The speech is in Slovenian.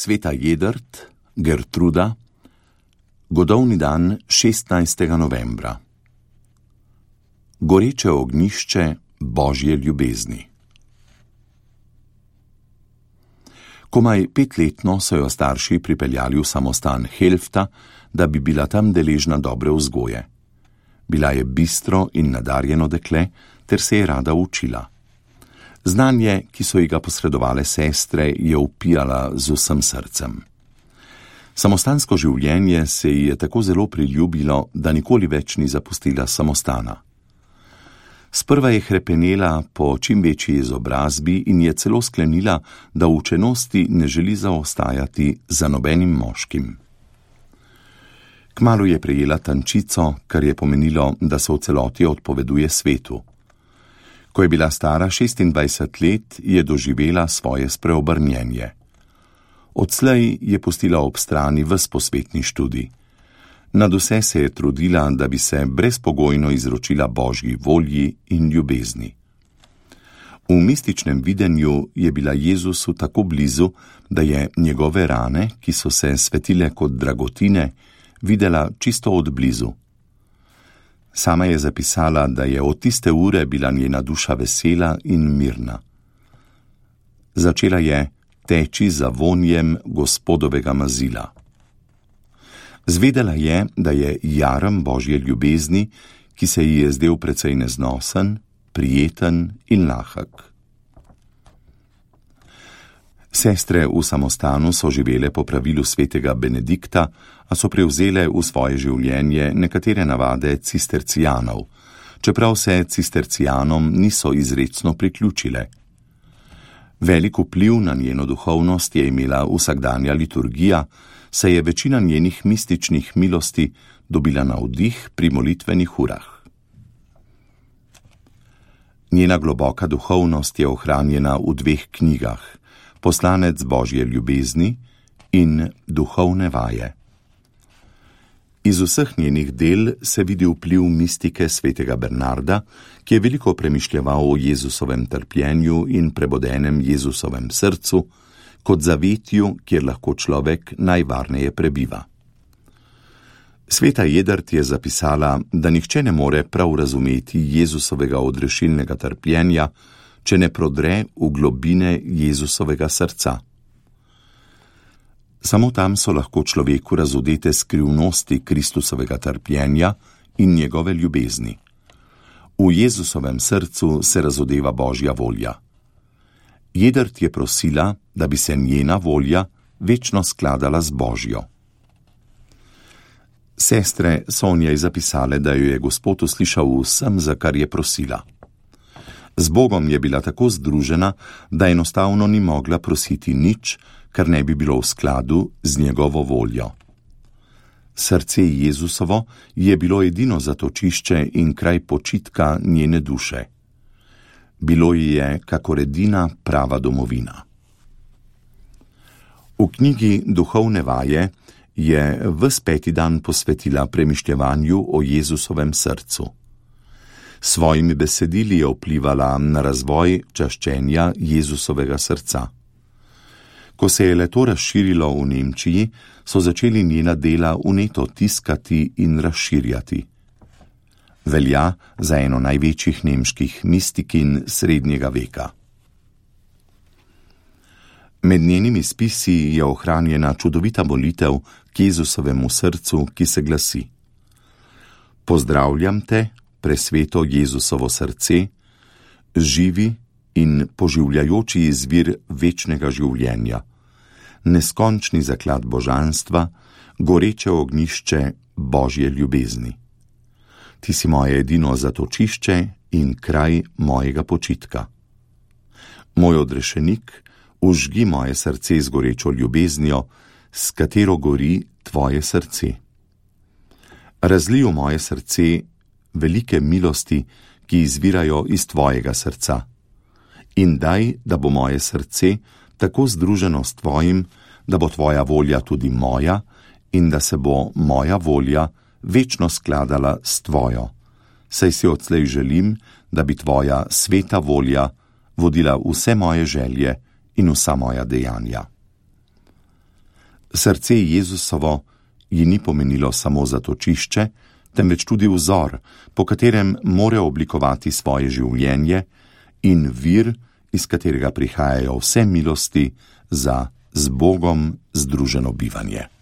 Sveta Jedrt, Gertruda, godovni dan 16. novembra. Goreče ognjišče Božje ljubezni. Komaj 5-letno so jo starši pripeljali v samostan Helfta, da bi bila tam deležna dobre vzgoje. Bila je bistro in nadarjeno dekle, ter se je rada učila. Znanje, ki so ji ga posredovale sestre, je vpijala z vsem srcem. Samostansko življenje se ji je tako zelo priljubilo, da nikoli več ni zapustila samostana. Sprva je hrepenela po čim večji izobrazbi in je celo sklenila, da v učenosti ne želi zaostajati za nobenim moškim. Kmalu je prejela tančico, kar je pomenilo, da se v celoti odpoveduje svetu. Ko je bila stara 26 let, je doživela svoje spreobrnjenje. Odslej je pustila ob strani ves posvetni študij. Nadvse se je trudila, da bi se brezpogojno izročila Božji volji in ljubezni. V mističnem videnju je bila Jezusu tako blizu, da je njegove rane, ki so se svetile kot dragotine, videla čisto od blizu. Sama je zapisala, da je od tiste ure bila njena duša vesela in mirna. Začela je teči za vonjem Gospodovega mazila. Zvedela je, da je jarem Božje ljubezni, ki se ji je zdel precej neznosen, prijeten in lahek. Sestre v samostanu so živele po pravilu svetega Benedikta, a so prevzele v svoje življenje nekatere navade cistercijanov, čeprav se cistercijanom niso izrecno priključile. Velik vpliv na njeno duhovnost je imela vsakdanja liturgija, saj je večina njenih mističnih milosti dobila navdih pri molitvenih urah. Njena globoka duhovnost je ohranjena v 2 knjigah, Poslanec Božje ljubezni in Duhovne vaje. Iz vseh njenih del se vidi vpliv mistike svetega Bernarda, ki je veliko premišljeval o Jezusovem trpljenju in prebodenem Jezusovem srcu, kot zavetju, kjer lahko človek najvarneje prebiva. Sveta Jedrt je zapisala, da nihče ne more prav razumeti Jezusovega odrešilnega trpljenja, če ne prodre v globine Jezusovega srca. Samo tam so lahko človeku razodete skrivnosti Kristusovega trpljenja in njegove ljubezni. V Jezusovem srcu se razodeva Božja volja. Jedrt je prosila, da bi se njena volja večno skladala z Božjo. Sestre so o njej zapisale, da jo je Gospod uslišal vsem, za kar je prosila. Z Bogom je bila tako združena, da enostavno ni mogla prositi nič, kar ne bi bilo v skladu z njegovo voljo. Srce Jezusovo je bilo edino zatočišče in kraj počitka njene duše. Bilo ji je kakor edina prava domovina. V knjigi Duhovne vaje je ves 5. dan posvetila premišljevanju o Jezusovem srcu. Svojimi besedili je vplivala na razvoj čaščenja Jezusovega srca. Ko se je le-to razširilo v Nemčiji, so začeli njena dela vneto tiskati in razširjati. Velja za eno največjih nemških mistikinj srednjega veka. Med njenimi spisi je ohranjena čudovita molitev k Jezusovemu srcu, ki se glasi: Pozdravljam te, presveto Jezusovo srce, živi in poživljajoči izvir večnega življenja, neskončni zaklad božanstva, goreče ognjišče Božje ljubezni. Ti si moje edino zatočišče in kraj mojega počitka. Moj odrešenik, užgi moje srce z gorečo ljubeznijo, s katero gori tvoje srce. Razlij v moje srce velike milosti, ki izvirajo iz tvojega srca. In daj, da bo moje srce tako združeno s tvojim, da bo tvoja volja tudi moja in da se bo moja volja večno skladala s tvojo, saj si odslej želim, da bi tvoja sveta volja vodila vse moje želje in vsa moja dejanja. Srce Jezusovo ji ni pomenilo samo zatočišče, temveč tudi vzor, po katerem more oblikovati svoje življenje, in vir, iz katerega prihajajo vse milosti za z Bogom združeno bivanje.